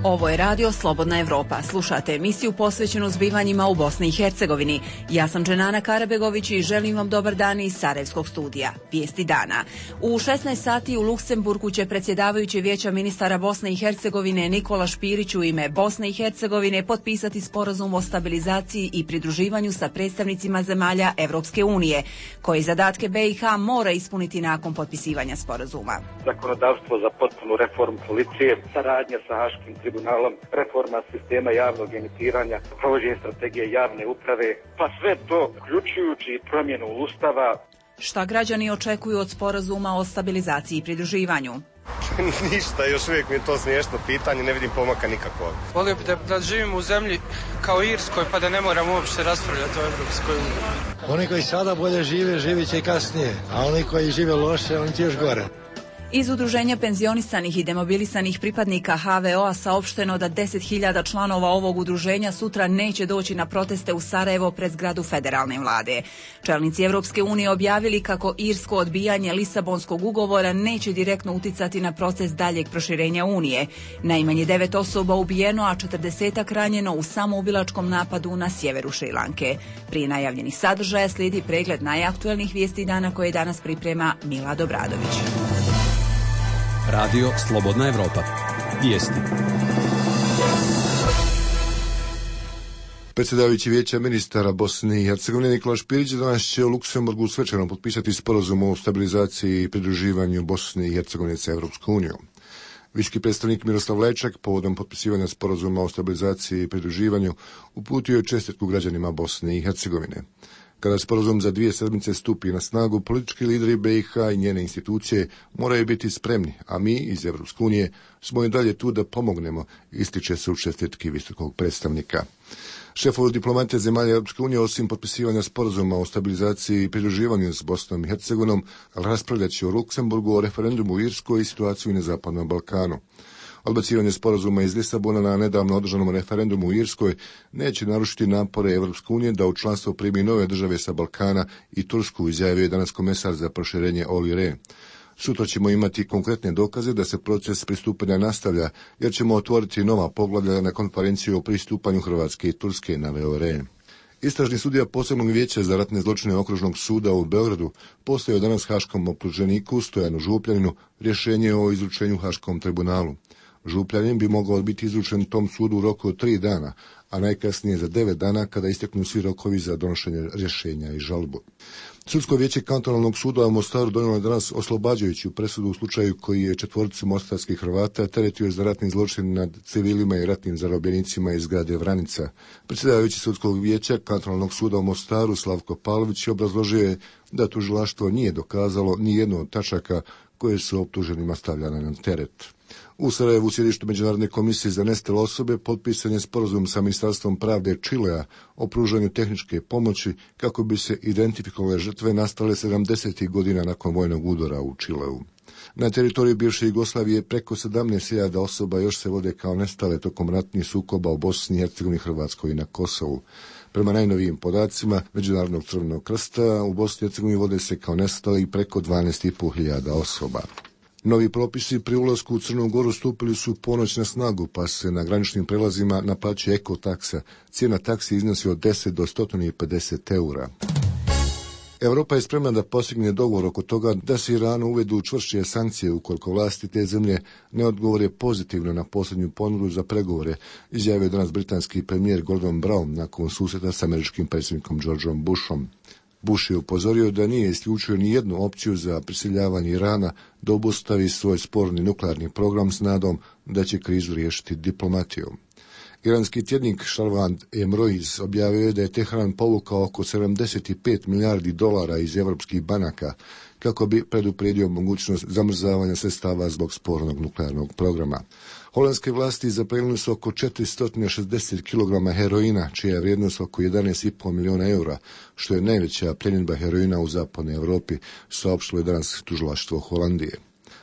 Ovo je radio Slobodna Evropa. Slušate emisiju posvećenu zbivanjima u Bosni i Hercegovini. Ja sam Dženana Karabegović i želim vam dobar dan iz Sarajevskog studija. Vijesti dana. U 16 sati u Luksemburgu će predsjedavajući Vijeća ministara Bosne i Hercegovine Nikola Špirić u ime Bosne i Hercegovine potpisati sporazum o stabilizaciji i pridruživanju sa predstavnicima zemalja Evropske unije, koji zadatke BiH mora ispuniti nakon potpisivanja sporazuma. Zakonodavstvo za potpunu reformu policije, saradnja sa Haškim tribunalom, reforma sistema javnog emitiranja, provođenje strategije javne uprave, pa sve to uključujući promjenu Ustava. Šta građani očekuju od sporazuma o stabilizaciji i pridruživanju? Ništa, još uvijek mi je to smiješno pitanje, ne vidim pomaka nikakvog. Volio bi da živimo u zemlji kao Irskoj, pa da ne moramo uopšte raspravljati o Evropskoj uniji. Oni koji sada bolje žive, živit će i kasnije, a oni koji žive loše, oni će još gore. Iz Udruženja penzionisanih i demobilisanih pripadnika HVO-a saopšteno da 10.000 članova ovog udruženja sutra neće doći na proteste u Sarajevo pred zgradu federalne vlade. Čelnici Evropske unije objavili kako irsko odbijanje Lisabonskog ugovora neće direktno uticati na proces daljeg proširenja Unije. Najmanje 9 osoba ubijeno, a 40-ak ranjeno u samoubilačkom napadu na sjeveru Šrilanke. Prije najavljenih sadržaja slijedi pregled najaktuelnijih vijesti dana koje danas priprema Milad Obradović. Radio Slobodna Evropa. Vijesti. Predsjedavajući Vijeća ministara Bosne i Hercegovine Nikola Špirić danas će u Luksemburgu svečano potpisati sporazum o stabilizaciji i pridruživanju Bosne i Hercegovine sa Evropskom unijom. Visoki predstavnik Miroslav Lečak povodom potpisivanja sporazuma o stabilizaciji i pridruživanju uputio je čestitku građanima Bosne i Hercegovine. Kada sporazum za 2 sedmice stupi na snagu, politički lideri BiH i njene institucije moraju biti spremni, a mi iz Evropske unije smo i dalje tu da pomognemo, ističe se u čestitki visokog predstavnika. Šefovi diplomate zemalja Europske unije osim potpisivanja sporazuma o stabilizaciji i pridruživanju s Bosnom i Hercegovinom raspravljat će u Luksemburgu o referendumu u Irskoj i situaciju na Zapadnom Balkanu. Odbacivanje sporazuma iz Lisabona na nedavno održanom referendumu u Irskoj neće narušiti napore Evropske unije da u članstvo primi nove države sa Balkana i Tursku, izjavio je danas komesar za proširenje Olli Rehn. Sutra ćemo imati konkretne dokaze da se proces pristupanja nastavlja, jer ćemo otvoriti nova poglavlja na konferenciju o pristupanju Hrvatske i Turske, naveo Rehn. Istražni sudija posebnog vijeća za ratne zločine okružnog suda u Beogradu postavio danas haškom optuženiku Stojanu Župljaninu rješenje o izručenju Haškom tribunalu. Župljanin bi mogao biti izručen tom sudu u roku od 3 dana, a najkasnije za 9 dana kada isteknu svi rokovi za donošenje rješenja i žalbu. Sudsko vijeće kantonalnog suda u Mostaru donijelo je danas oslobađajuću presudu u slučaju koji je 4 mostarskih Hrvata teretio za ratni zločin nad civilima i ratnim zarobljenicima iz grada Vranica. Predsjedavajući sudskog vijeća kantonalnog suda u Mostaru Slavko Pavlović obrazložio je da tužilaštvo nije dokazalo ni jednu od tačaka koje su optuženima stavljane na teret. U Sarajevu, u sjedištu Međunarodne komisije za nestale osobe, potpisan je sporazum sa Ministarstvom pravde Čilea o pružanju tehničke pomoći kako bi se identifikovale žrtve nastale 70. godina nakon vojnog udara u Čileu. Na teritoriju bivše Jugoslavije preko 17.000 osoba još se vode kao nestale tokom ratnih sukoba u Bosni i Hercegovini, Hrvatskoj i na Kosovu. Prema najnovijim podacima Međunarodnog crvenog krsta u Bosni i Hercegovini vode se kao nestali preko 12.500 osoba. Novi propisi pri ulasku u Crnu Goru stupili su ponoć na snagu, pa se na graničnim prelazima naplaćuje ekotaksa. Cijena taksi iznosi od 10 do 150 eura. Europa je spremna da postigne dogovor oko toga da se Iranu uvedu čvršće sankcije ukoliko vlasti te zemlje ne odgovore pozitivno na posljednju ponudu za pregovore, izjavio danas britanski premijer Gordon Brown nakon susreta s američkim predsjednikom Georgeom Bushom. Bush je upozorio da nije isključio ni jednu opciju za prisiljavanje Irana da obustavi svoj sporni nuklearni program s nadom da će krizu riješiti diplomatijom. Iranski tjednik Šarvand Emroiz objavio je da je Teheran povukao oko 75 milijardi dolara iz evropskih banaka kako bi predupredio mogućnost zamrzavanja sredstava zbog spornog nuklearnog programa. Holandske vlasti zaplijenile su oko 460 kg heroina, čija je vrijednost oko 11,5 milijuna eura, što je najveća pljenidba heroina u zapadnoj Europi, saopštilo je danas tužilaštvo Holandije.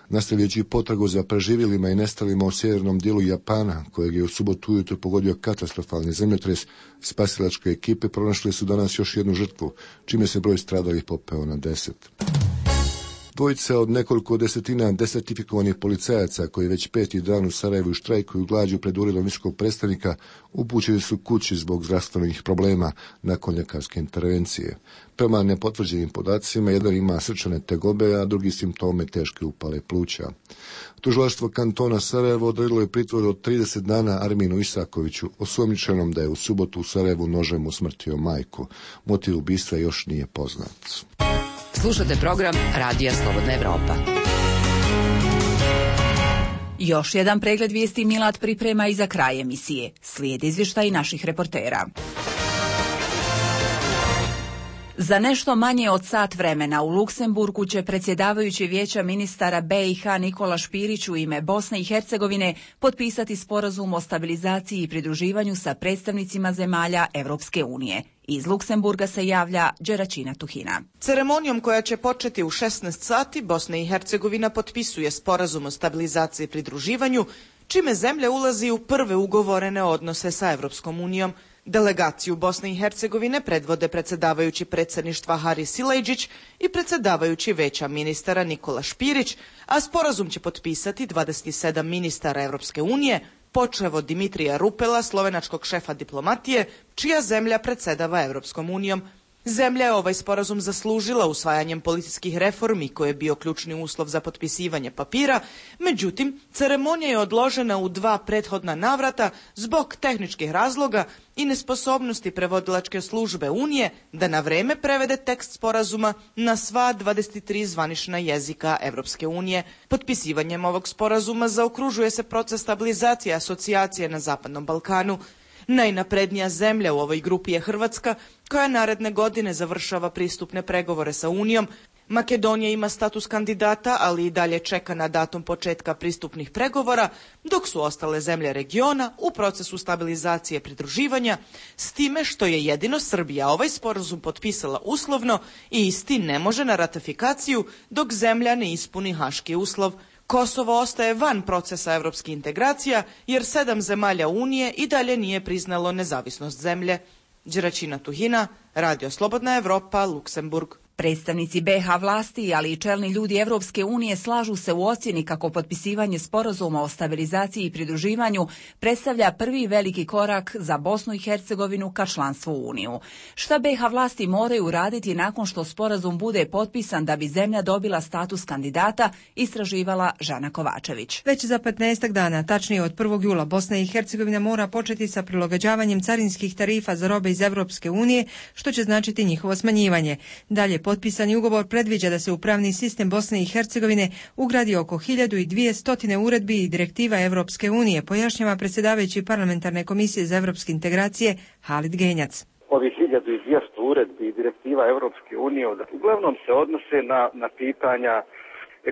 Nastavljajući potragu za preživjelima i nestalima u sjevernom dijelu Japana, kojeg je u subotu ujutro pogodio katastrofalni zemljotres, spasilačke ekipe pronašle su danas još jednu žrtvu, čime se broj stradalih popeo na 10. Dvojica od nekoliko desetina desertifikovanih policajaca koji već 5. dan u Sarajevu štrajkuju glađu pred uredom visokog predstavnika upućeni su kući zbog zdravstvenih problema nakon ljekarske intervencije. Prema nepotvrđenim podacima, jedan ima srčane tegobe, a drugi simptome teške upale pluća. Tužilaštvo kantona Sarajevo odredilo je pritvor od 30 dana Arminu Isakoviću, osumnjičenom da je u subotu u Sarajevu nožem usmrtio majku. Motiv ubistva još nije poznat. Slušate program Radija Slobodna Evropa. Još jedan pregled vijesti Milad priprema i za kraj emisije. Slijede izvještaji naših reportera. Za nešto manje od sat vremena u Luksemburgu će predsjedavajući Vijeća ministara BiH Nikola Špirić u ime Bosne i Hercegovine potpisati sporazum o stabilizaciji i pridruživanju sa predstavnicima zemalja Europske unije. Iz Luksemburga se javlja Đeračina Tuhina. Ceremonijom koja će početi u 16 sati Bosna i Hercegovina potpisuje sporazum o stabilizaciji i pridruživanju, čime zemlja ulazi u prve ugovorene odnose sa Europskom unijom. Delegaciju Bosne i Hercegovine predvode predsjedavajući predsjedništva Haris Silajdžić i predsjedavajući Vijeća ministara Nikola Špirić, a sporazum će potpisati 27 ministara Europske unije, počev od Dimitrija Rupela, slovenačkog šefa diplomatije, čija zemlja predsjedava Europskom unijom. Zemlja je ovaj sporazum zaslužila usvajanjem policijskih reformi koji je bio ključni uslov za potpisivanje papira, međutim, ceremonija je odložena u 2 prethodna navrata zbog tehničkih razloga i nesposobnosti prevodilačke službe Unije da na vrijeme prevede tekst sporazuma na sva 23 zvanična jezika Europske unije. Potpisivanjem ovog sporazuma zaokružuje se proces stabilizacije i asocijacije na Zapadnom Balkanu. Najnaprednija zemlja u ovoj grupi je Hrvatska, koja naredne godine završava pristupne pregovore sa Unijom. Makedonija ima status kandidata, ali i dalje čeka na datum početka pristupnih pregovora, dok su ostale zemlje regiona u procesu stabilizacije pridruživanja, s time što je jedino Srbija ovaj sporazum potpisala uslovno i isti ne može na ratifikaciju dok zemlja ne ispuni haški uslov. Kosovo ostaje van procesa europskih integracija jer 7 zemalja Unije i dalje nije priznalo nezavisnost zemlje. Đeračina Tuhina, Radio Slobodna Evropa, Luksemburg. Predstavnici BiH vlasti, ali i čelni ljudi Europske unije slažu se u ocjeni kako potpisivanje sporazuma o stabilizaciji i pridruživanju predstavlja prvi veliki korak za Bosnu i Hercegovinu ka članstvu u Uniju. Šta BiH vlasti moraju raditi nakon što sporazum bude potpisan da bi zemlja dobila status kandidata, istraživala Žana Kovačević. Već za 15 dana, tačnije od 1. jula, Bosna i Hercegovina mora početi sa prilagođavanjem carinskih tarifa za robe iz Europske unije, što će značiti njihovo smanjivanje. Dalje, potpisani ugovor predviđa da se u pravni sistem Bosne i Hercegovine ugradi oko 1200 uredbi i direktiva Europske unije, pojašnjava predsjedavajući parlamentarne komisije za europske integracije Halid Genjac. Ovi 1200 uredbi i direktiva Europske unije uglavnom se odnose na pitanja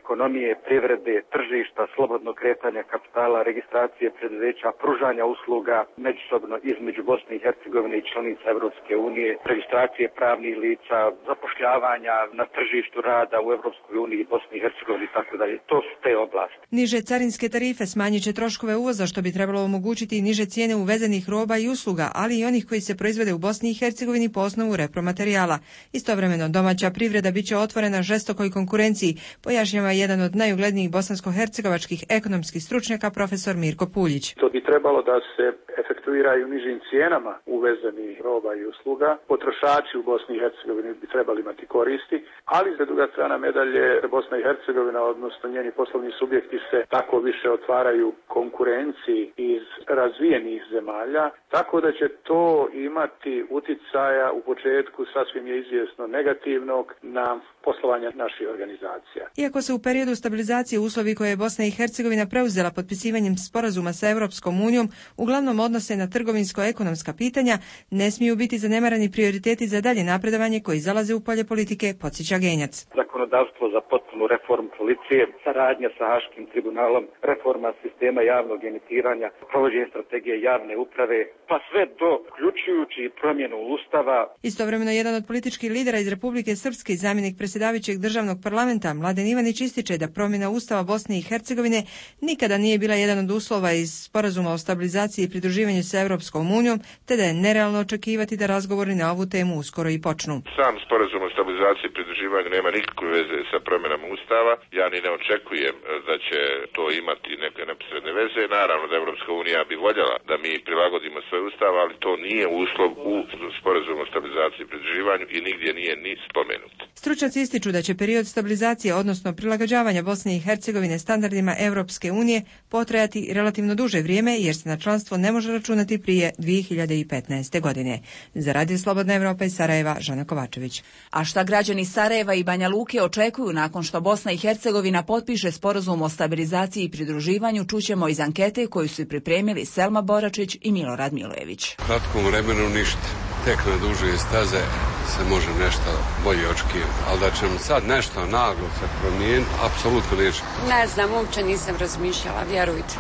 ekonomije, privrede, tržišta, slobodnog kretanja kapitala, registracije preduzeća, pružanja usluga međusobno između Bosne i Hercegovine i članica Europske unije, registracije pravnih lica, zapošljavanja na tržištu rada u Europskoj uniji i Bosni i Hercegovini i tako dalje. To su te oblasti. Niže carinske tarife smanjit će troškove uvoza, što bi trebalo omogućiti i niže cijene uvezenih roba i usluga, ali i onih koji se proizvode u Bosni i Hercegovini po osnovu repromaterijala. Istovremeno domaća privreda bit će otvorena žestokoj konkurenciji, pojašnjava jedan od najuglednijih bosansko-hercegovačkih ekonomskih stručnjaka, profesor Mirko Puljić. To bi trebalo da se efektuiraju nižim cijenama uvezenih roba i usluga. Potrošači u Bosni i Hercegovini bi trebali imati koristi, ali za druga strana medalje Bosna i Hercegovina, odnosno njeni poslovni subjekti se tako više otvaraju konkurenciji iz razvijenih zemalja, tako da će to imati uticaja u početku, sasvim je izvjesno, negativnog na poslovanje naših organizacija. Iako se u periodu stabilizacije uslovi koje je Bosna i Hercegovina preuzela potpisivanjem sporazuma sa Europskom unijom uglavnom odnose na trgovinsko-ekonomska pitanja, ne smiju biti zanemarani prioriteti za dalje napredovanje koji zalaze u polje politike, podsjeća Genjac. Zakonodavstvo za potpunu reformu policije, saradnja sa Haškim tribunalom, reforma sistema javnog emitiranja, provođenje strategije javne uprave, pa sve to uključujući promjenu Ustava. Istovremeno jedan od političkih lidera iz Republike Srpske i zamjenik predsjedavajućeg državnog parlamenta Mladen Ivanić ističe da promjena Ustava Bosne i Hercegovine nikada nije bila jedan od uslova iz sporazuma o stabilizaciji i pridruživanju sa Europskom unijom, te da je nerealno očekivati da razgovori na ovu temu uskoro i počnu. Sam sporazum o stabilizaciji i pridruživanju nema nikakve veze sa promjenama Ustava. Ja ni ne očekujem da će to imati neke neposredne veze. Naravno da Europska unija bi voljela da mi prilagodimo svoj Ustav, ali to nije uslov u sporazumu o stabilizaciji i pridruživanju i nigdje nije ni spomenut. Stručnjaci ističu da će period stabilizacije, odnosno prilagođavanja Bosne i Hercegovine standardima Europske unije potrajati relativno duže vrijeme, jer se na članstvo ne može računati prije 2015. godine. Za Radio Slobodna Evropa iz Sarajeva, Žana Kovačević. A šta građani Sarajeva i Banja Luke očekuju nakon što Bosna i Hercegovina potpiše sporazum o stabilizaciji i pridruživanju, čućemo iz ankete koju su pripremili Selma Boračić i Milorad Milojević. U kratkom vremenu ništa. Tek na duže staze se može nešto bolje očekivati, ali da će sad nešto naglo se promijeniti, apsolutno neće. Ne znam, uopće nisam razmišljala, vjerujte.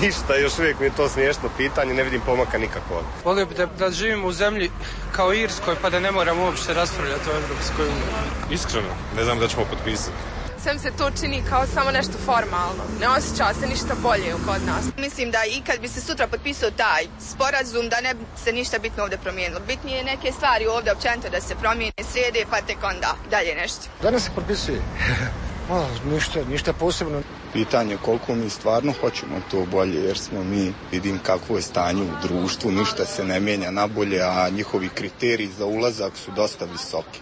Ništa, još uvijek mi je to smiješno pitanje, ne vidim pomaka nikakvog. Volio bi da živimo u zemlji kao Irskoj, pa da ne moramo uopće raspravljati o Evropskoj uniji. Iskreno, ne znam da ćemo potpisati. Sve se to čini kao samo nešto formalno. Ne osjeća se ništa bolje kod nas. Mislim da i kad bi se sutra potpisao taj sporazum, da ne bi se ništa bitno ovdje promijenilo. Bitnije je neke stvari ovdje općenito da se promijene, srede, pa tek onda dalje nešto. Danas se potpisuje. Ništa posebno. Pitanje koliko mi stvarno hoćemo to bolje, jer smo mi, vidim kakvo je stanje u društvu, ništa se ne mijenja nabolje, a njihovi kriteriji za ulazak su dosta visoki.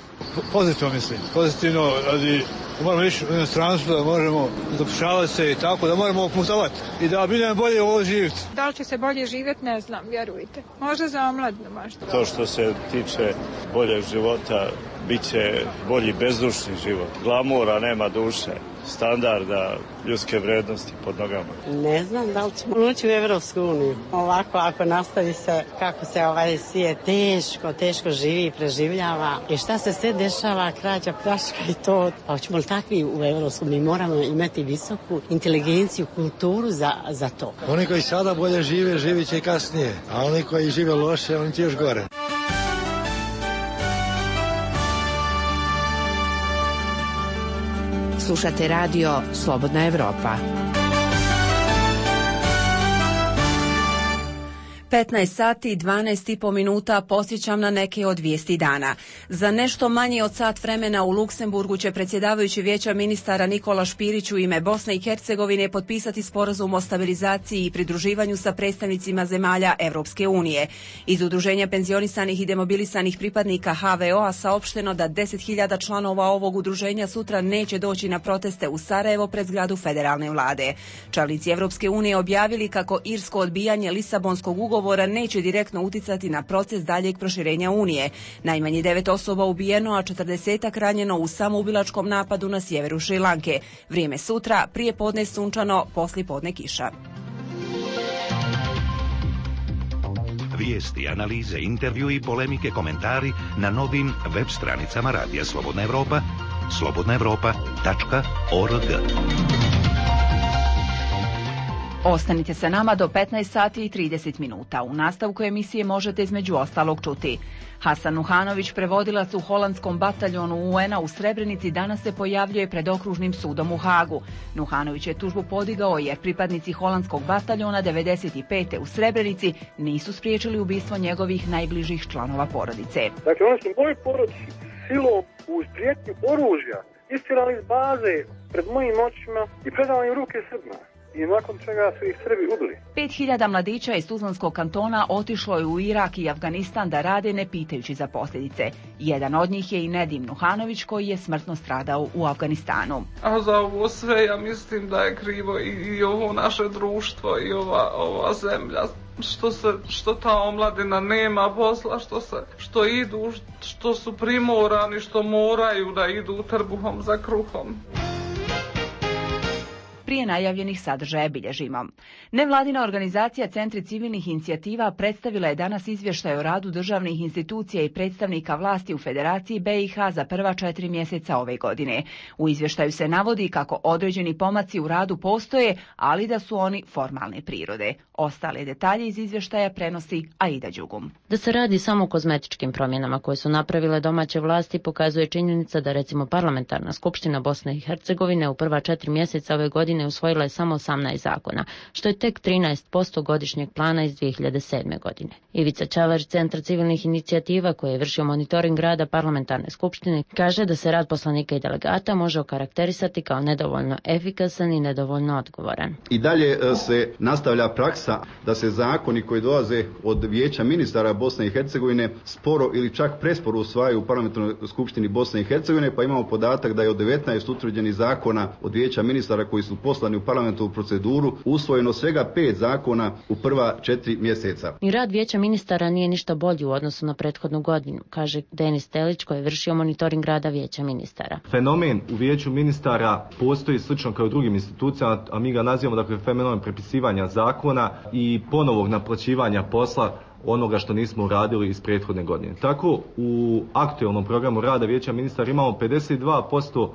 Pozitivno mislim, pozitivno, radi da moramo ići u inostranstvo, da možemo zapošljavati se i tako, da moramo putovati i da bi nam bolje ovo živjeti. Da li će se bolje živjeti, ne znam, vjerujte. Možda za omladinu možda. To što se tiče boljeg života, bit će bolji bezdušni život. Glamura nema duše, standarda, ljudske vrednosti pod nogama. Ne znam da li ćemo ući u Evropsku uniju. Ovako, ako nastavi se kako se ovaj svijet teško živi i preživljava i šta se sve dešava, krađa, pljačka i to. Pa hoćemo li takvi u Evropsku? Mi moramo imati visoku inteligenciju, kulturu za to. Oni koji sada bolje žive, živit će i kasnije, a oni koji žive loše, oni će još gore. Slušate radio Slobodna Evropa. 15 sati i 12,5 minuta posjećam na neke od vijesti dana. Za nešto manje od sat vremena u Luksemburgu će predsjedavajući Vijeća ministara Nikola Špirić u ime Bosne i Hercegovine potpisati sporazum o stabilizaciji i pridruživanju sa predstavnicima zemalja Evropske unije. Iz Udruženja penzionisanih i demobilisanih pripadnika HVO-a saopšteno da 10.000 članova ovog udruženja sutra neće doći na proteste u Sarajevo pred zgradu federalne vlade. Čelnici Evropske unije objavili kako irsko odbijanje Lisabonskog ugovora neće direktno uticati na proces daljeg proširenja Unije. Najmanje 9 osoba ubijeno, a 40 ranjeno u samoubilačkom napadu na sjeveru Šrilanke. Vrijeme sutra, prije podne sunčano, poslije podne kiša. Vijesti, analize, intervju i polemike, komentari na novim web stranicama Radija Slobodna Evropa, slobodnaevropa.org. Ostanite sa nama do 15 sati i 30 minuta. U nastavku emisije možete između ostalog čuti. Hasan Nuhanović, prevodilac u holandskom bataljonu UN-a u Srebrenici, danas se pojavljuje pred okružnim sudom u Hagu. Nuhanović je tužbu podigao jer pripadnici holandskog bataljona 95. u Srebrenici nisu spriječili ubistvo njegovih najbližih članova porodice. Dakle, oni su moji porodici silom uz prijetnju oružja istirali iz baze pred mojim očima i predali u ruke Srbima. I nakon čega su ih Srbi ubili. 5.000 mladića iz Tuzlanskog kantona otišlo je u Irak i Afganistan da rade ne pitajući za posljedice. Jedan od njih je i Nedim Nuhanović koji je smrtno stradao u Afganistanu. A za ovo sve ja mislim da je krivo i ovo naše društvo i ova zemlja. Što ta omladina nema posla, što idu, što su primorani, što moraju da idu trbuhom za kruhom. Prije najavljenih sadržaja bilježimo. Nevladina organizacija Centri civilnih inicijativa predstavila je danas izvještaj o radu državnih institucija i predstavnika vlasti u Federaciji BiH za prva 4 mjeseca ove godine. U izvještaju se navodi kako određeni pomaci u radu postoje, ali da su oni formalne prirode. Ostale detalje iz izvještaja prenosi Aida Đugum. Da se radi samo o kozmetičkim promjenama koje su napravile domaće vlasti pokazuje činjenica da recimo Parlamentarna skupština Bosne i Hercegovine u prva 4 mjeseca ove godine godine usvojila je samo 18 zakona, što je tek 13% godišnjeg plana iz 2007. godine. Ivica Čavar, Centra civilnih inicijativa koji je vršio monitoring rada parlamentarne skupštine, kaže da se rad poslanika i delegata može okarakterisati kao nedovoljno efikasan i nedovoljno odgovoran. I dalje se nastavlja praksa da se zakoni koji dolaze od Vijeća ministara Bosne i Hercegovine sporo ili čak presporo usvajaju u parlamentarnoj skupštini Bosne i Hercegovine, pa imamo podatak da je od 19 utvrđenih zakona od Vijeća ministara koji su poslani u parlamentarnu proceduru usvojeno svega 5 zakona u prva 4 mjeseca. Ni rad Vijeća ministara nije ništa bolji u odnosu na prethodnu godinu, kaže Denis Telić koji je vršio monitoring rada Vijeća ministara. Fenomen u Vijeću ministara postoji slično kao u drugim institucijama, a mi ga nazivamo fenomen prepisivanja zakona i ponovog naplaćivanja posla onoga što nismo uradili iz prethodne godine. Tako u aktualnom programu rada Vijeća ministara imamo 52%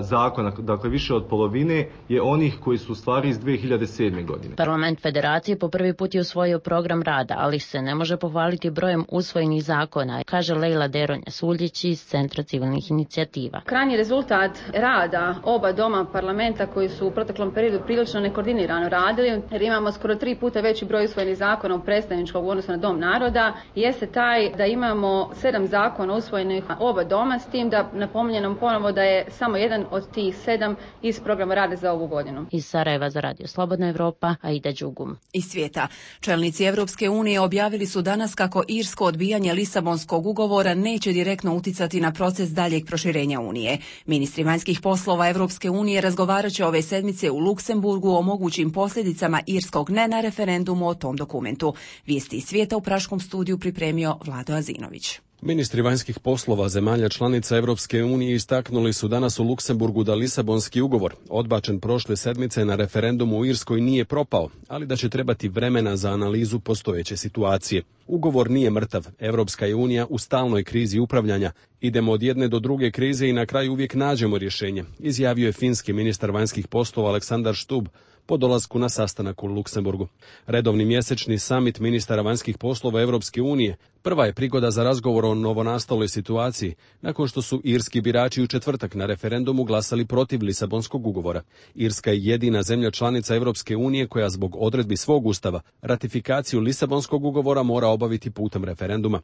zakona, dakle više od polovine je onih koji su u stvari iz 2007. godine. Parlament Federacije po prvi put je usvojio program rada, ali se ne može pohvaliti brojem usvojenih zakona, kaže Lejla Deronja-Suljić iz Centra civilnih inicijativa. Krajnji rezultat rada oba doma parlamenta koji su u proteklom periodu prilično nekoordinirano radili, jer imamo skoro 3 puta veći broj usvojenih zakona u predstavničkog u odnosu na Dom naroda, jeste taj da imamo 7 zakona usvojenih oba doma, s tim da napominjem ponovo da je samo jedan od tih 7 iz programa rada za ovu godinu. Iz Sarajeva za Radio Slobodna Evropa, Aida Đugum. Iz svijeta. Čelnici Evropske unije objavili su danas kako irsko odbijanje Lisabonskog ugovora neće direktno uticati na proces daljeg proširenja Unije. Ministri vanjskih poslova Evropske unije razgovarat će ove sedmice u Luksemburgu o mogućim posljedicama irskog ne na referendumu o tom dokumentu. Vijesti iz svijeta u Praškom studiju pripremio Vlado Azinović. Ministri vanjskih poslova zemalja članica Evropske unije istaknuli su danas u Luksemburgu da Lisabonski ugovor, odbačen prošle sedmice na referendumu u Irskoj, nije propao, ali da će trebati vremena za analizu postojeće situacije. Ugovor nije mrtav. Evropska je unija u stalnoj krizi upravljanja. Idemo od jedne do druge krize i na kraju uvijek nađemo rješenje, izjavio je finski ministar vanjskih poslova Aleksandar Stubb po dolasku na sastanak u Luksemburgu. Redovni mjesečni samit ministara vanjskih poslova Evropske unije prva je prigoda za razgovor o novonastaloj situaciji, nakon što su irski birači u četvrtak na referendumu glasali protiv Lisabonskog ugovora. Irska je jedina zemlja članica Evropske unije koja zbog odredbi svog ustava ratifikaciju Lisabonskog ugovora mora obaviti putem referenduma.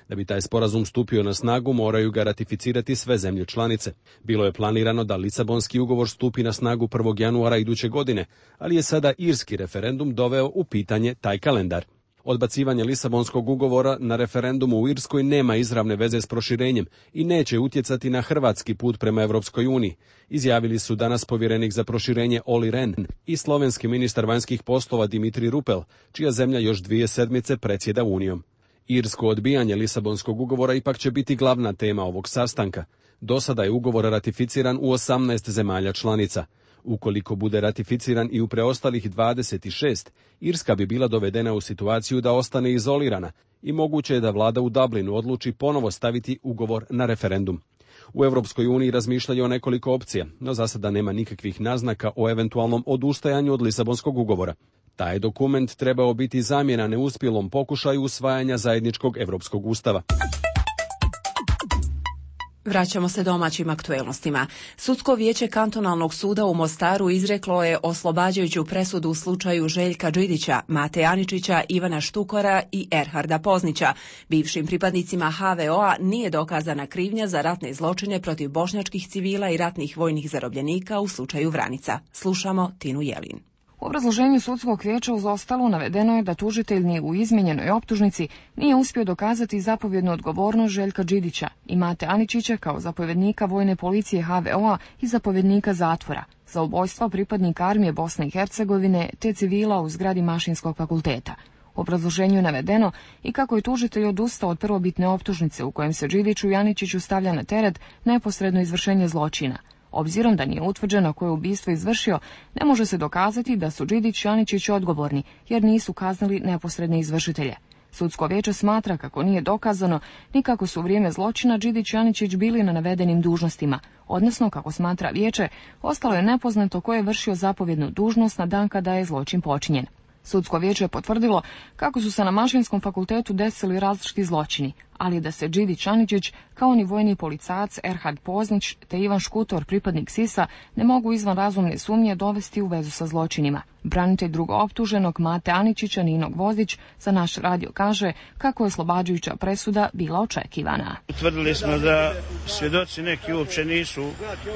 Da bi taj sporazum stupio na snagu, moraju ga ratificirati sve zemlje članice. Bilo je planirano da Lisabonski ugovor stupi na snagu 1. januara iduće godine, ali je sada irski referendum doveo u pitanje taj kalendar. Odbacivanje Lisabonskog ugovora na referendumu u Irskoj nema izravne veze s proširenjem i neće utjecati na hrvatski put prema Evropskoj uniji, izjavili su danas povjerenik za proširenje Olli Rehn i slovenski ministar vanjskih poslova Dimitri Rupel, čija zemlja još 2 sedmice predsjeda Unijom. Irsko odbijanje Lisabonskog ugovora ipak će biti glavna tema ovog sastanka. Do sada je ugovor ratificiran u 18 zemalja članica. Ukoliko bude ratificiran i u preostalih 26, Irska bi bila dovedena u situaciju da ostane izolirana i moguće je da vlada u Dublinu odluči ponovo staviti ugovor na referendum. U Europskoj uniji razmišljaju o nekoliko opcija, no za sada nema nikakvih naznaka o eventualnom odustajanju od Lisabonskog ugovora. Taj dokument trebao biti zamjena neuspjelom pokušaju usvajanja zajedničkog europskog ustava. Vraćamo se domaćim aktuelnostima. Sudsko vijeće kantonalnog suda u Mostaru izreklo je oslobađajuću presudu u slučaju Željka Đidića, Mate Aničića, Ivana Štukora i Erharda Poznića. Bivšim pripadnicima HVO-a nije dokazana krivnja za ratne zločine protiv bošnjačkih civila i ratnih vojnih zarobljenika u slučaju Vranica. Slušamo Tinu Jelin. U obrazloženju sudskog vijeća uz ostalo navedeno je da tužitelj ni u izmijenjenoj optužnici nije uspio dokazati zapovjednu odgovornost Željka Đidića i Mate Aničića kao zapovjednika vojne policije HVO-a i zapovjednika zatvora za ubojstva pripadnika armije Bosne i Hercegovine te civila u zgradi Mašinskog fakulteta. U obrazloženju je navedeno i kako je tužitelj odustao od prvobitne optužnice u kojem se Đidiću i Aničiću stavlja na teret neposredno izvršenje zločina. Obzirom da nije utvrđeno koje ubistvo izvršio, ne može se dokazati da su Đidić i Aničić odgovorni, jer nisu kaznili neposredne izvršitelje. Sudsko vijeće smatra kako nije dokazano ni kako su u vrijeme zločina Đidić i Aničić bili na navedenim dužnostima, odnosno, kako smatra vijeće, ostalo je nepoznato ko je vršio zapovjednu dužnost na dan kada je zločin počinjen. Sudsko vijeće je potvrdilo kako su se na Mašinskom fakultetu desili različiti zločini, ali da se Đidić Aničić, kao ni vojni policajac Erhard Poznić te Ivan Škutor, pripadnik SIS-a, ne mogu izvan razumne sumnje dovesti u vezu sa zločinima. Branitelj drugooptuženog Mate Aničića, Nino Gvozdić, za naš radio kaže kako je oslobađajuća presuda bila očekivana. Utvrdili smo da svjedoci neki uopće nisu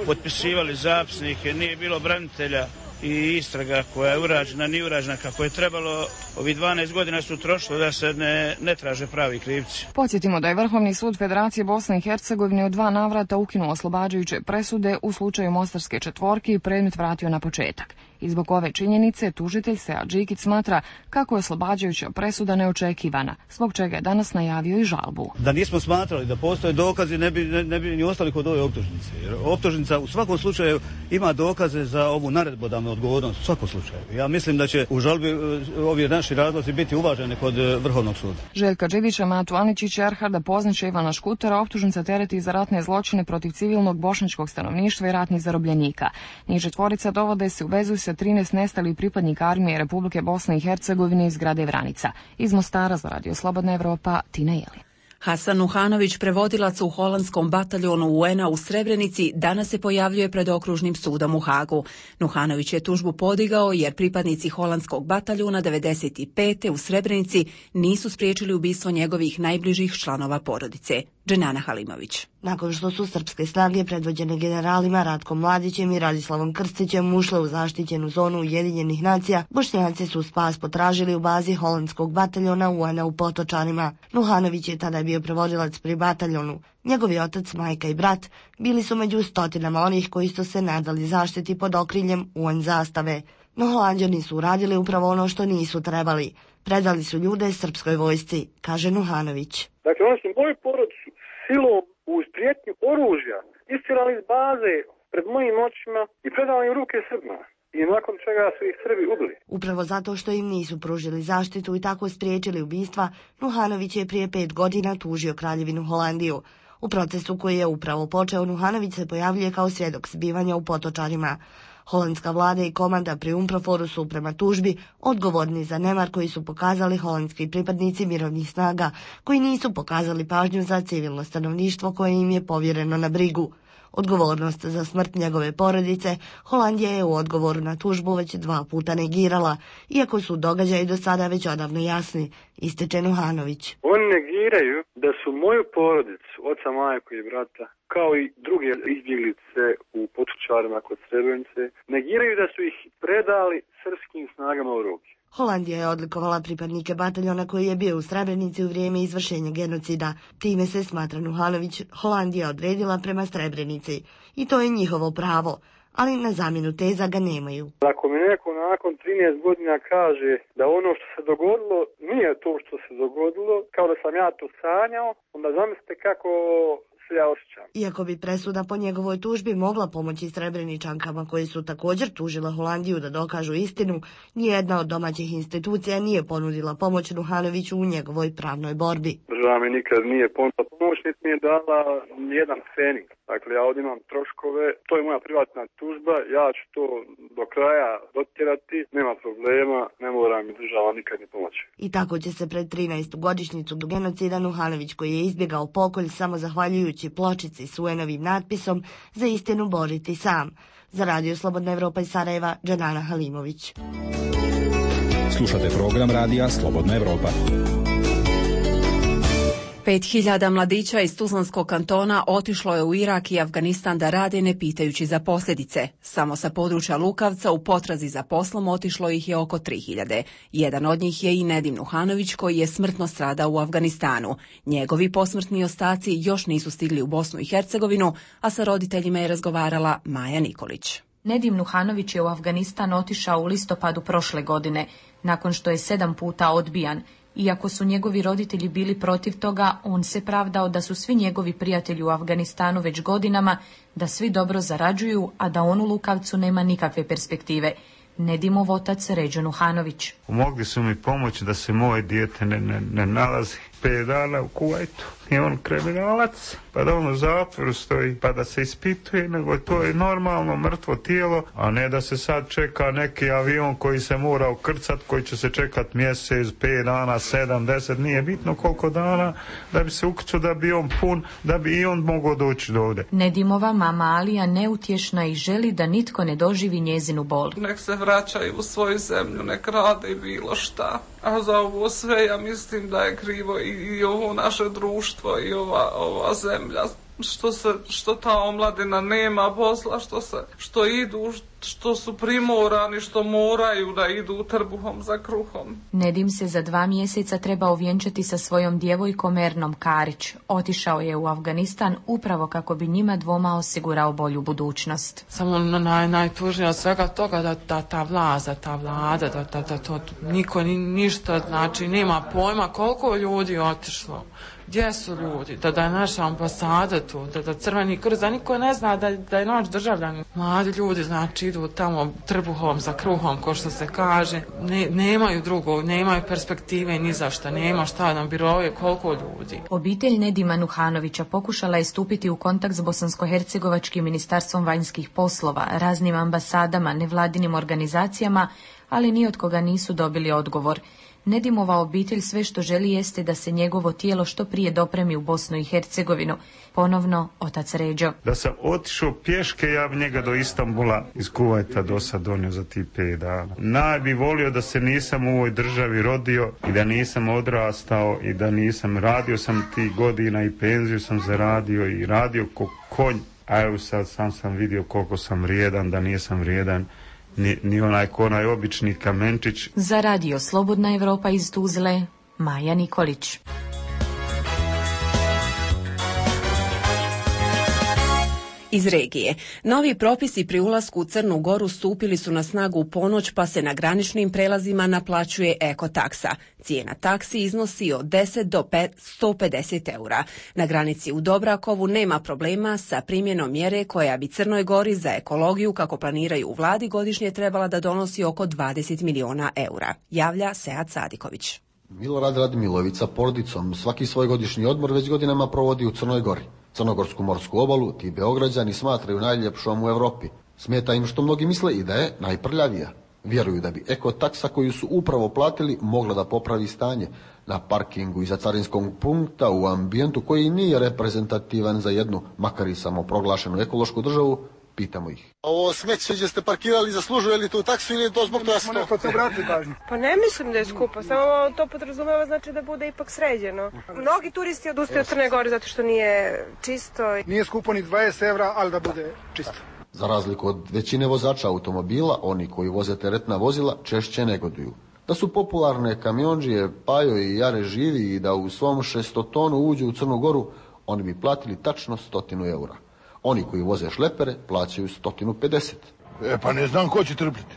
potpisivali zapisnike, nije bilo branitelja i istraga koja je urađena, nije urađena kako je trebalo. Ovih 12 godina su trošilo da se ne traže pravi krivci. Podsjetimo da je Vrhovni sud Federacije Bosne i Hercegovine u 2 navrata ukinuo oslobađajuće presude u slučaju Mostarske četvorke i predmet vratio na početak. I zbog ove činjenice tužitelj Sead Đikić smatra kako je oslobađajuća presuda neočekivana, zbog čega je danas najavio i žalbu. Da nismo smatrali da postoje dokazi, ne bi ni ostali kod ove optužnice. Jer optužnica u svakom slučaju ima dokaze za ovu naredbodavnu odgovornost u svakom slučaju. Ja mislim da će u žalbi ovi naši razlozi biti uvaženi kod Vrhovnog suda. Željka Đidića, Matu Aničića, Erharda Poznića i Ivana Škutera optužnica tereti za ratne zločine protiv civilnog bošnjačkog stanovništva i ratnih zarobljenika. Njih četvorica dovode se u vezu sa 13 nestalih pripadnika armije Republike Bosne i Hercegovine iz grada Vranica. Iz Mostara za Radio Slobodna Evropa, Tina Jeli. Hasan Nuhanović, prevodilac u holandskom bataljonu UN-a u Srebrenici, danas se pojavljuje pred okružnim sudom u Hagu. Nuhanović je tužbu podigao jer pripadnici holandskog bataljuna 95. u Srebrenici nisu spriječili ubistvo njegovih najbližih članova porodice. Dženana Halimović. Nakon što su srpske snage predvođene generalima Ratkom Mladićem i Radislavom Krstićem ušle u zaštićenu zonu Ujedinjenih nacija, Bošnjaci su spas potražili u bazi holandskog bataljona UN-a u Potočanima. Nuhanović je tada bio prevodilac pri bataljonu. Njegovi otac, majka i brat bili su među stotinama onih koji su se nadali zaštiti pod okriljem UN zastave. No Holanđani su uradili upravo ono što nisu trebali. Predali su ljude srpskoj vojsci, kaže Nuhanović. Dakle, oni su moju porodicu silom uz prijetnju oružja istirali iz baze pred mojim očima i predali im ruke Srbima. I nakon čega su ih Srbi ubili. Upravo zato što im nisu pružili zaštitu i tako spriječili ubistva, Nuhanović je prije 5 godina tužio Kraljevinu Holandiju. U procesu koji je upravo počeo, Nuhanović se pojavljuje kao svjedok zbivanja u Potočanima. Holandska vlada i komanda pri UNPROFOR-u su prema tužbi odgovorni za nemar koji su pokazali holandski pripadnici mirovnih snaga, koji nisu pokazali pažnju za civilno stanovništvo koje im je povjereno na brigu. Odgovornost za smrt njegove porodice Holandija je u odgovoru na tužbu već 2 puta negirala, iako su događaji do sada već odavno jasni, ističe Nuhanović. Oni negiraju da su moju porodicu, oca, majku i brata, kao i druge izbjeglice u Potočarima kod Srebrenice, negiraju da su ih predali srpskim snagama u ruke. Holandija je odlikovala pripadnike bataljona koji je bio u Srebrenici u vrijeme izvršenja genocida. Time se, smatra Nuhanović, Holandija odredila prema Srebrenici. I to je njihovo pravo, ali na zamjenu teza ga nemaju. Ako mi neko nakon 13 godina kaže da ono što se dogodilo nije to što se dogodilo, kao da sam ja to sanjao, onda zamislite kako se ja osjećam. Iako bi presuda po njegovoj tužbi mogla pomoći Srebreničankama koje su također tužile Holandiju da dokažu istinu, nijedna od domaćih institucija nije ponudila pomoć Nuhanoviću u njegovoj pravnoj borbi. Država mi nikad nije ponudila pomoć, niti mi je dala nijedan fening. Dakle, ja ovdje imam troškove, to je moja privatna tužba, ja ću to do kraja dotjerati, nema problema, ne mora mi država nikad ni pomoći. I tako će se pred 13. godišnjicu genocida Nuhanović, koji je izbjegao pokolj samo zahvaljujući pločici s UN-ovim natpisom, za istinu boriti sam. Za Radio Slobodna Evropa iz Sarajeva, Dženana Halimović. Slušate program Radija Slobodna Evropa. 5.000 mladića iz Tuzlanskog kantona otišlo je u Irak i Afganistan da rade ne pitajući za posljedice. Samo sa područja Lukavca u potrazi za poslom otišlo ih je oko 3.000. Jedan od njih je i Nedim Nuhanović, koji je smrtno stradao u Afganistanu. Njegovi posmrtni ostaci još nisu stigli u Bosnu i Hercegovinu, a sa roditeljima je razgovarala Maja Nikolić. Nedim Nuhanović je u Afganistan otišao u listopadu prošle godine, nakon što je 7 puta odbijan. Iako su njegovi roditelji bili protiv toga, on se pravdao da su svi njegovi prijatelji u Afganistanu već godinama, da svi dobro zarađuju, a da on u Lukavcu nema nikakve perspektive. Nedimov otac Ređo Nuhanović. Mogli su mi pomoći da se moje dijete ne nalazi 5 dana u Kuvajtu i on kriminalac, pa da on u zatvoru stoji, pa da se ispituje, nego to je normalno mrtvo tijelo, a ne da se sad čeka neki avion koji se mora ukrcat, koji će se čekat mjesec, 5 dana, 7, 10, nije bitno koliko dana, da bi se ukrcao, da bi on pun, da bi i on mogao doći do ovde. Nedimova mama Alija neutješna i želi da nitko ne doživi njezinu bol. Nek se vraćaju u svoju zemlju, nek rade bilo šta. A za ovo sve ja mislim da je krivo i ovo naše društvo i ova zemlja. Što ta omladina nema posla, što idu, što su primorani, što moraju da idu trbuhom za kruhom. Nedim se za 2 mjeseca treba ovjenčati sa svojom djevojkom Ernom Karić. Otišao je u Afganistan upravo kako bi njima dvoma osigurao bolju budućnost. Samo najtužnije od svega toga da ta vlada, da to niko ništa, znači nema pojma koliko ljudi otišlo. Gdje su ljudi? Da je naša ambasada tu, da Crveni krst, da niko ne zna da je naš državljan. Mladi ljudi, znači, idu tamo trbuhom za kruhom, ko što se kaže. Nemaju drugog, nemaju perspektive ni za šta, nema šta nam birove, koliko ljudi. Obitelj Nedima Nuhanovića pokušala je stupiti u kontakt s Bosansko-hercegovačkim ministarstvom vanjskih poslova, raznim ambasadama, nevladinim organizacijama, ali ni od koga nisu dobili odgovor. Nedimova obitelj sve što želi jeste da se njegovo tijelo što prije dopremi u Bosnu i Hercegovinu. Ponovno otac Ređo. Da sam otišao pješke, ja bi njega do Istanbula iz Kuvajta do sad donio za ti 5 dana. Najbi volio da se nisam u ovoj državi rodio i da nisam odrastao i da nisam radio sam tih godina i penziju sam zaradio i radio ko konj. A evo sad sam vidio koliko sam vrijedan, da nisam vrijedan. Ni onaj obični kamenčić. Za radio Slobodna Evropa iz Tuzle, Maja Nikolić. Iz regije. Novi propisi pri ulasku u Crnu Goru stupili su na snagu u ponoć, pa se na graničnim prelazima naplaćuje ekotaksa. Cijena taksi iznosi od 10 do 150 eura. Na granici u Dobrakovu nema problema sa primjenom mjere koja bi Crnoj Gori za ekologiju, kako planiraju u vladi, godišnje trebala da donosi oko 20 miliona eura. Javlja Sead Sadiković. Milorad Radmilović sa porodicom svaki svoj godišnji odmor već godinama provodi u Crnoj Gori. Crnogorsku morsku obalu ti Beograđani smatraju najljepšom u Europi. Smeta im što mnogi misle i da je najprljavija. Vjeruju da bi ekotaksa koju su upravo platili mogla da popravi stanje na parkingu iza carinskog punkta u ambijentu koji nije reprezentativan za jednu, makar i samoproglašenu ekološku državu. Pitamo ih. Ovo smeće gdje ste parkirali zaslužuje li tu taksu ili je to zbog toga što? Pa ne mislim da je skupo, samo to podrazumeva znači da bude ipak sređeno. Mnogi turisti odustaju od Crne Gore zato što nije čisto. Nije skupo ni 20 evra, ali da bude čisto. Za razliku od većine vozača automobila, oni koji voze teretna vozila češće negoduju. Da su popularne kamiondžije Pajo i Jare živi i da u svom 600 tonu uđu u Crnu Goru, oni bi platili tačno 100 eura. Oni koji voze šlepere plaćaju 150. Pa ne znam ko će trpljeti.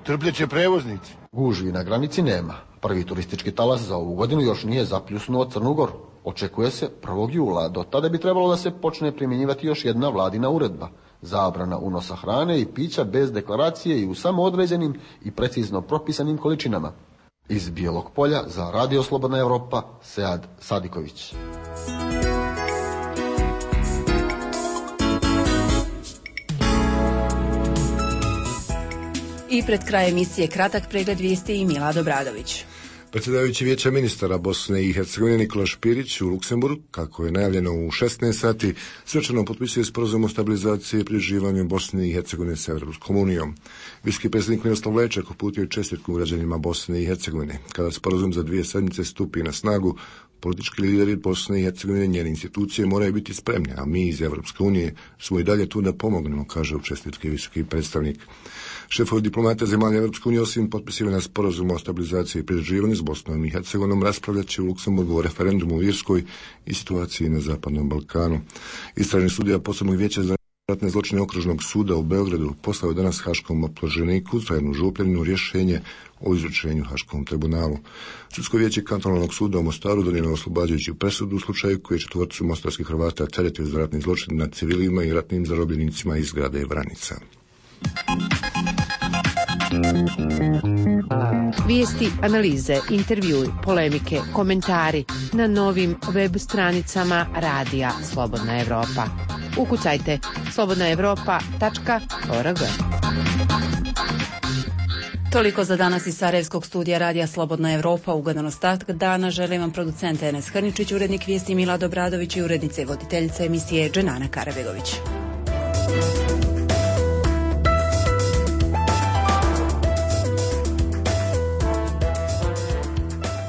Trpljeće prevoznici. Gužvi na granici nema. Prvi turistički talas za ovu godinu još nije zapljusnuo Crnu Goru. Očekuje se 1. jula. Do tada bi trebalo da se počne primjenjivati još jedna vladina uredba. Zabrana unosa hrane i pića bez deklaracije i u samo određenim i precizno propisanim količinama. Iz Bijelog Polja za Radio Slobodna Evropa, Sead Sadiković. I pred kraj emisije kratak pregled vijesti i Milad Obradović. Predsjedavajući Vijeća ministara Bosne i Hercegovine Nikola Špirić u Luksemburgu, kako je najavljeno u 16 sati, svečano potpisuje sporazum o stabilizaciji i pridruživanju Bosne i Hercegovine s Europskom unijom. Visoki predsjednik Miroslav Lečak uputio je čestitku građanima Bosne i Hercegovine. Kada sporazum za 2 sedmice stupi na snagu, politički lideri Bosne i Hercegovine i njene institucije moraju biti spremni, a mi iz Europske unije smo i dalje tu da pomognemo, kaže u čestitki visoki predstavnik. Šefovi diplomata zemalja Europske unije osim potpisivanja sporazuma o stabilizaciji i pridruživanju s Bosnom i Hercegovinom raspravljat će u Luksemburgu o referendumu u Irskoj i situaciji na Zapadnom Balkanu. Istražni sudija posebnog vijeća za ratne zločine okružnog suda u Beogradu poslao je danas haškom optuženiku Trajanu Župljaninu rješenje o izručenju Haškom tribunalu. Sudsko vijeće kantonalnog suda u Mostaru donijelo oslobađajuću presudu u slučaju koji je 4 mostarskih Hrvata teretio za ratni zločin nad civilima i ratnim zarobljenicima iz grada Vranica. Vijesti, analize, intervjui, polemike, komentari na novim web stranicama Radija Slobodna Evropa. Ukucajte slobodnaevropa.org. Toliko za danas iz Sarajevskog studija Radija Slobodna Evropa. Ugodan ostatak dana želim vam producent Enes Hrničić, urednik vijesti Milad Obradović i urednica i voditeljica emisije Dženana Karabegović.